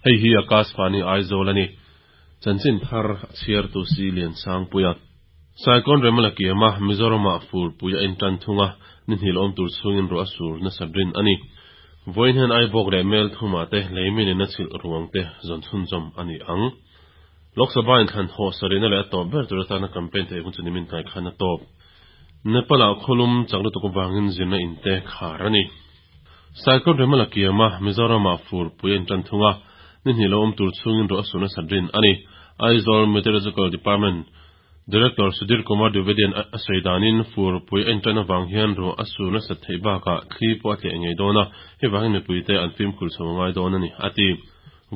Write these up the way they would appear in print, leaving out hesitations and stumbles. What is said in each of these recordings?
Hei hi Akashvani Aizawl a ni. Chanchin thar a chhiartu si Liansangpuia. Saikawn Remala kiama Mizoramah furpui a intan thung a, ni hnih lawm tur chhungin ruah a sur nasa rin a ni. Vawiin hian Aibawk leh Melthumah te leimin in a chhilh ruang te zawn chhunzawm a ni ang. Lok Sabha inthlan haw sarihna leh a tawp ber tur atana campaign theih hun chu nimin tlai khan a tawp. Nepal-ah khawlum chak lutuk avangin zirna in te khar a ni. Saikawt Remala kiama Mizoramah furpui a intan thung a, ni hnih lo awm tur chhungin ruah a sur nasat rin a ni. Aizawl Meteorological Department Director Sudhir Kumar Dwivedi-a'n a sawi danin furpui a intan avang hian ruah a sur nasat theih bakah thli pawh a tleh ngei dawn a, hei vangin mipuite an fimkhur chho a ngai dawn a ni, a ti.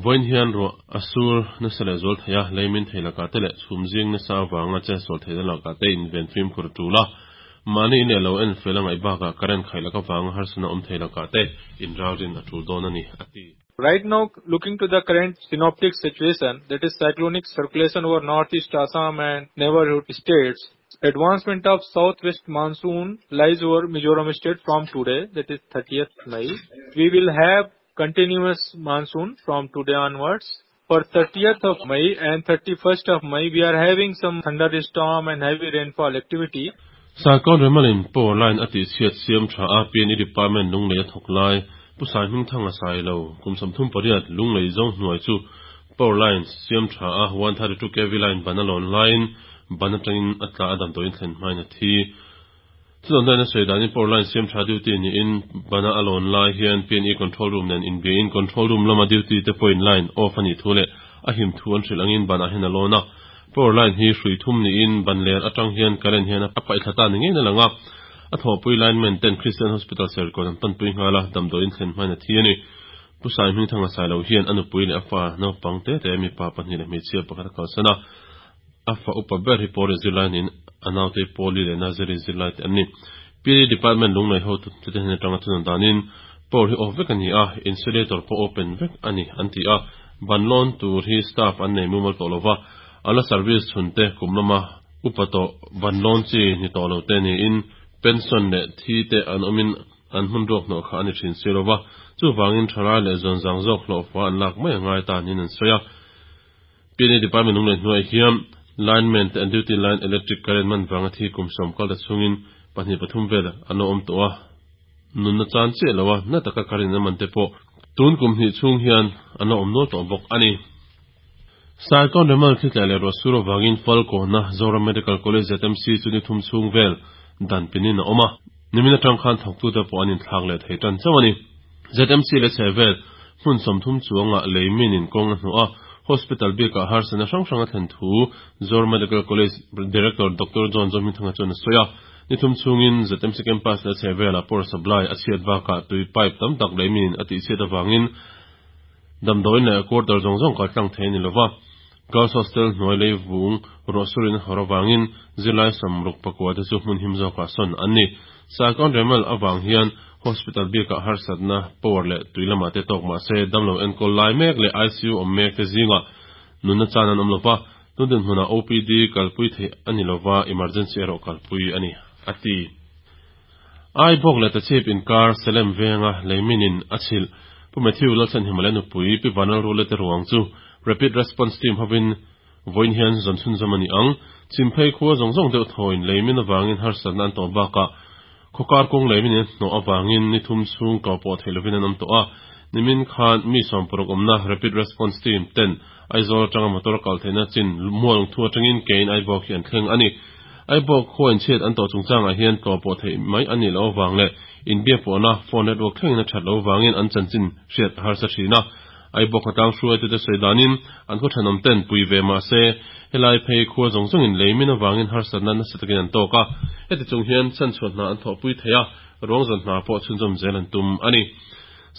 Vawiin hian ruah a sur nasa leh zual thei a, leimin thei lakah te leh chhum zing nasa avanga chetsual theihna lakah te inven fimkhur a tul a. Mahni in leh lo en fel a ngaih bakah current khaih lak avanga harsatna awm thei lakah te inralrin a tul dawn a ni, a ti. Right now, looking to the current synoptic situation, that is cyclonic circulation over northeast Assam and neighborhood states, advancement of southwest monsoon lies over Mizoram state from today, that is 30th May. We will have continuous monsoon from today onwards. For 30th of May and 31st of May, we are having some thunderstorm and heavy rainfall activity. Saikawn Remalin power line a tihchhiat siam tha a, PNE Department Lunglei a thawk lai, Pu Saihmingthanga Sailo, kum 38, Lunglei zawng hnuai chu power line siam tha a, 132 kv line ban a lawn laiin ban atangin a tla a damdawiin thlen hmain a thi. Chuan daina sawi danin power line siam tha duty niin bana a lawn lai hian PNE control room nen inbiain control room lama duty te pawhin line off a nih thu leh a him thu an hrilh angin banah hian a lawn a. Power line hi hrui thum niin ban ler atang hian current hian a paih thla ta ni ngeiin a lang a. A thawhpui lineman ten Christian Hospital Serkawn an panpui nghal a, damdawiin thlen hmain a thi a ni. Pu Saihmingthanga Sailo hian a nupui leh a fa naupang te te mipa pahnih leh hmeichhia pakhat a kalsan a. A fa upa ber hi Pawlin zirlai niin a naute hi Pawli leh Nazari zirlai te an ni. PLE Department lunglei hotu te hnen atanga thunawn danin power hi off vek a ni a, insulator pawh open vek a ni an ti a, ban lawn tur hi staff an nei mumal tawh lova, a la service chhun te kum lama upa tawh ban lawn chi ni tawh lo te niin pension leh thi te an awmin an hmun ruak hnawh kha a ni thin si lova, chuvangin thalai leh zawnzang zawk hlawhfa an lak mai a ngai ta niin an sawi a. PNA Department lung leh hnuaiah hian Lineman te an duty line electric current man vanga thi kum sawm kal ta chhungin pahnih pathum vel an lo awm tawh a, nunna chan chiah lo a, na taka current in a man te pawh tun kum hnih chhung hian an lo awm nual tawh bawk a ni. Saikawn Remal thlitlai leh ruah sur avangin Falkawna Zoram Medical College ZMC chu ni thum chhung vel dan pinin a awm a, nimin atang khan thawktute pawh an inthlak leh thei tan chauh a ni. ZMC leh chhehvel hmun 30 chuangah lei minin kawng a hnuh a, hospital bikah harsatna hrang hrang a thlen thu Zoram Medical College Director Doctor John Zohmingthanga chuan a sawi a. Ni thum chhungin ZMC campus leh chhehvelah power supply a chhiat bakah tui pipe tam tak lei minin a tihchhiat avangin damdawiin leh quarter zawng zawng kaltlang thei a ni lova. Girls Hostel hnuai lei vung ruahsurin a hawr avangin zirlai 64 te chu hmun him zawkah sawn an ni. Saikawn Remal avang hian Hospital bikah harsatna, power leh tui lamah te tawk mah se damlo enkawl lai mek leh ICU awm mek te zingah nunna chan an awm lova, tun dinhmunah OPD kalpui theih a ni lova, emergency erawh kalpui a ni, a ti. Aibawk leh Tachhip inkar Salem venga leiminin a chhilh Pu Matthew Lalchhanhima leh nupui Pi Vanlalrule te ruang chu Rapid Response Team hovin vawiin hian zawn chhunzawm a ni ang. Chhimphei khua zawng zawng deuh thawiin leimin avangin harsatna an tawh bakah khawkar kawng leimin in a hnawh avangin ni thum chhung kau pawh theih lovin an awm tawh a. Nimin khan mi 60 awmna Rapid Response Team ten Aizawl atanga motor kal theihna chin mualngthu atangin kein Aibawk hi an thleng a ni. Aibawk khua inchhiat an tawh chungchangah hian tlawh pawh theih mai a nih loh avang leh inbiakpawhna phone network thlengin a that loh avangin an chanchin hriat a harsa thin a. Aibawk khawtlang hruaitute sawi danin an khaw thenawm ten pui ve mah se helai phei khua zawng zawngin lei min avangin harsatna nasa takin an tawk a. Heti chung hian chhanchhuah hna an thawhpui thei a, ruangzan hna pawh chhunzawm zel an tum a ni.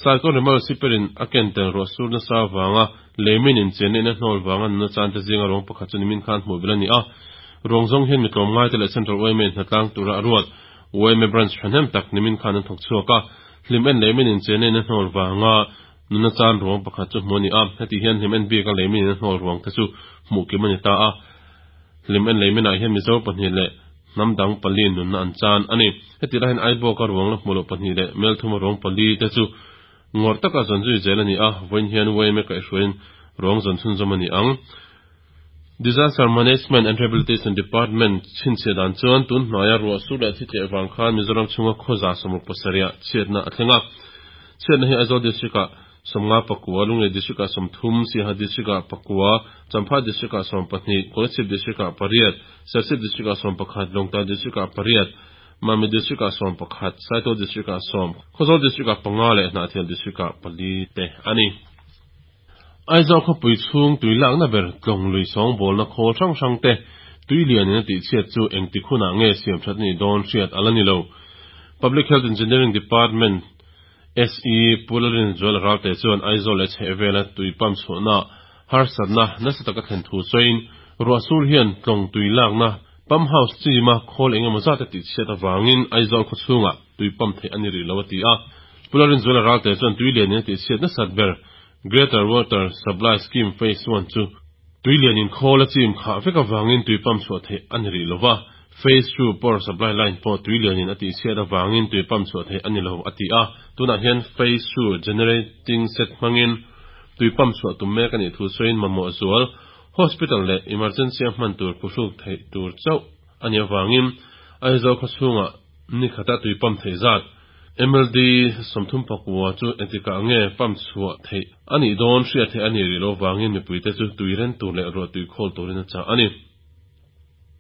Saikawn Remal Siperin a ken tel ruah sur nasa avanga Leimin inchianna in a hnawl vanga nuna chante zinga ruang pakhat chu nimin khan hmuh belh a ni a. Ruang zawng hian mi tlawmngaite leh Central yma in hnatlang tura a ruat yma Branch thahnem tak nimin khan an thawk chhuak a. Hlim en leimin inchianna in a hnawl vanga nuna chan ruang pakhat chu hmuh a ni a. Heti hian hlim en bika leimin in a hnawl ruang te chu hmuh kim a ni ta a. Hlim en leiminah hian Mizo pahnih leh hnam dang pali nunna an chan a ni. Heti lai hian Aibawka ruang la hmuh loh pahnih leh Melthuma ruang pali te chu. Ngawrh taka zawn zui zel a ni a, vawiin hian YMA kaihhruaiin ruang zawn chhunzawm a ni ang. Disaster Management and Rehabilitation Department chhinchhiah dan chuan tun hnuaia ruah sur leh thi tleh vang khan Mizoram chhunga khawza 67 ah chhiatna a thleng a. Chhiatna hi Aizawl District-ah 51, Lunglei District-ah 30, Siaha District-ah pakua, Champhai District-ah 12, Kolasib District-ah pariat, Serchhip District-ah 11, Lawngtlai District-ah pariat, Mami District-ah 11, Saitual District-ah sawm, Khawzawl District-ah panga leh Hnahthial District-ah pali te a ni. Aizawl khawpui chhung tui lakna ber tlawng lui sawngbawlna khawl hrang hrang te tui lianin a tihchhiat chu engtik hunah nge siam that a nih dawn hriat a la ni lo. Public Health Engineering Department SE Pu Lalrinzuala Ralte chuan Aizawl leh chhehvela tui pump chhuahna harsatna nasa taka thlen thu sawiin ruah sur hian tlawng tui lakna pump house chima khawl eng emaw zat a tihchhiat avangin Aizawl khaw chhungah tui pump theih a ni rih lo a ti a. Pu Lalrinzuala Ralte chuan tui lianin a tihchhiat nasat ber Greater Water Supply Scheme Phase One chu tui lianin khawl a chim khah vek avangin tui pump chhuah theih a ni rih lo va, Phase Two Power Supply Line pawh tui lianin a tihchhiat avangin tui pump chhuah theih a ni lo a ti a. Tunah hian Phase Two Generating Set hmangin tui pump chhuah tum mek a nih thu sawiin mamawh zual Hospital leh Emergency a hman tur phuhruk theih tur chauh a nih avangin Aizawl khaw chhungah ni khata tui pump theih zat MLD 39 chu engtikah nge pump chhuah theih a nih dawn hriat theih a nih rih lo vangin mipuite chu tui ren tur leh ruah tui khawl turin a chah a ni.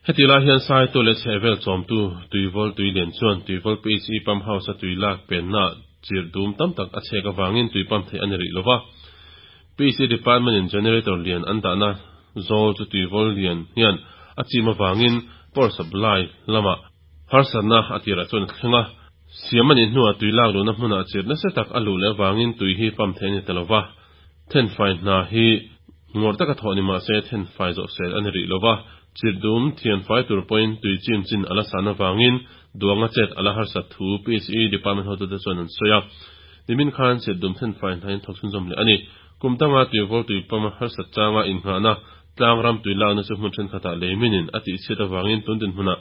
Hetih lai hian Saitu leh chhehvel chawmtu Tuivawl Tuilian chuan Tuivawl PHE Pump House-a tui lak pennaah chirh dum tam tak a chhek avangin tui pump theih a ni rih lo va. PHE Department-in generator lian an dahna zawl chu Tuivawl lian hian a chim avangin power supply lamah harsatna a tirah chuan a thleng a. Siam a nih hnuah tui lak luhna hmunah chirh nasa tak a luh leh avangin tui hi pump theih a ni ta lo va. Thenfai hna hi ngawrh taka thawh ni mah se thenfai zawh sel a ni rih lo va, chirhdum thianfai tur pawhin tui chim chin a la san avangin duanga chet a la harsat thu PHE department hotute chuan an sawi a. Nimin khan chirhdum thenfai hna in thawk chhunzawm leh a ni. Kum danga tuivawl tuipam harsat changa innghahna tlang ram tui lakna chu hmun thenkhatah lei minin a tihchhiat avangin tun dinhmunah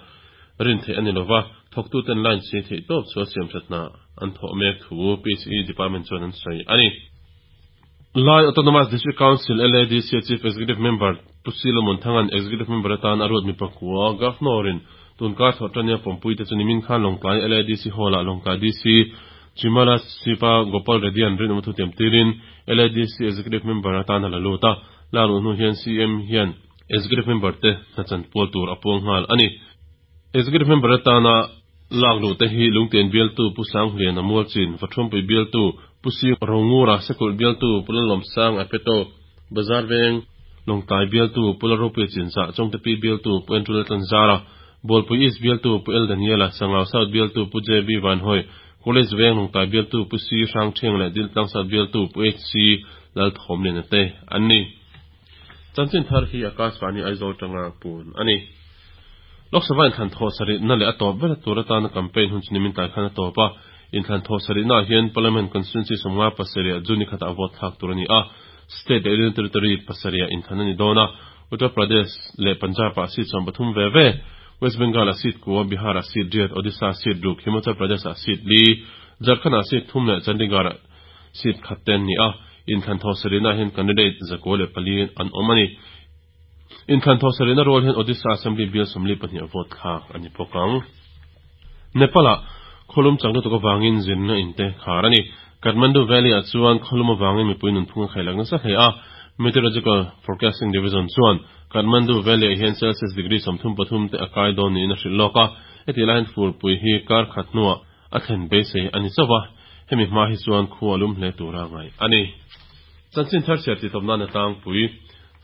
rin theih a ni lo va, thawktuten line si theih tawp chu a siamthat hna an thawh mek thu PHE department chuan an sawi a ni. Lai Autonomous District Council, LADC, a Chief Executive Member Pu Silomon Thanga'n Executive Member atan a ruat mi pakua Governor-in tunkar thawh tania pawmpuite chu nimin khan Lawngtlai LADC Hall-ah Lawngtlai DC Chimala Siva Gopal Reddy-a'n rinawm thu tiam tirin LADC Executive Member atan a la lut a. Lak luh hnu hian CM hian Executive Member te hna chanpual tur a puang nghal a ni. Executive Member atana lak luh te hi Lungtian bialtu Pu Sanghliana Mualchin, Vathruampui bialtu Pu Sing Rongura, Sekulh bialtu Pu Lalawmsang Apeto, Bazar Veng, Lawngtlai bialtu Pu Lalropuia Chinzah, Chawngtepi bialtu Pu Andrew Laltlanzara, Bualpui East bialtu Pu El Daniela, Sangau South bialtu Pu JB Vanhawi, College Veng Lawngtlai bialtu Pu C Hrangthiang leh Diltlang South bialtu Pu HC Lalthawmliana te an ni. Chanchin thar hi Akashvani Aizawl tanga pun a ni. Lok Sabha inthlan thawh sarihna leh a tawp ber tur atana campaign hun chu nimin tlai khan a tawp a. Inthlan thawh sarihnaah hian Parliament Constituency 57 ah June ni khatah vote thlak tur a ni a. State leh Union Territory pasarihah inthlan a ni dawn a. Uttar Pradesh leh Punjab-ah seat 13 ve ve, West Bengal-ah seat kua, Bihar-ah seat riat, Odisha-ah seat ruk, Himachal Pradesh-ah seat li, Jharkhand-ah seat thum leh Chandigarh-ah seat khat te an ni a. Inthlan thawh sarihnaah hian candidate 94 an awm a ni. Inthlan thawh sarihna rual hian Odisha Assembly bial 42 a vote thlak a ni bawk ang. Nepal-ah khawlum chang lutuk avangin zirna in te khar a ni. Kathmandu Valley-ah chuan khawlum avangin mipui nunphung a khailak nasa hle a. Meteorological Forecasting Division chuan Kathmandu Valley-ah hian Celsius degree 33 te a kai dawn niin a hrilh lawk a. Hetihlai hian furpui hi kar khat hnuah a thlen beisei a ni chauh a, hemi hma hi chuan khu a lum hle tura ngaih a ni. Chanchin thar chhiar tih tawp nan a tlangpui.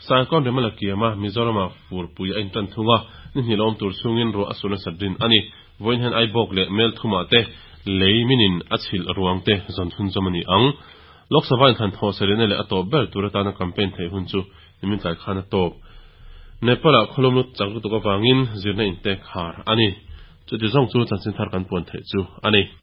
Saikawn Remala kiama Mizorama furpui a intan thung a, ni hnih la awm tur chhungin ruah a sur nasat rin a ni. Vawiin hian Aibawk leh Melthumah te lei minin a chhilh ruang te zawn chhunzawm a ni ang. Lok Sabha inthlan thawh sarihna leh a tawp ber tur atana campaign theih hun chu nimin tlai khan a tawp. Nepal-ah khawlum lut chak lutuk avangin zirna inte khar a ni. Chuti zawng chu chanchin thar kan puan theih chu a ni.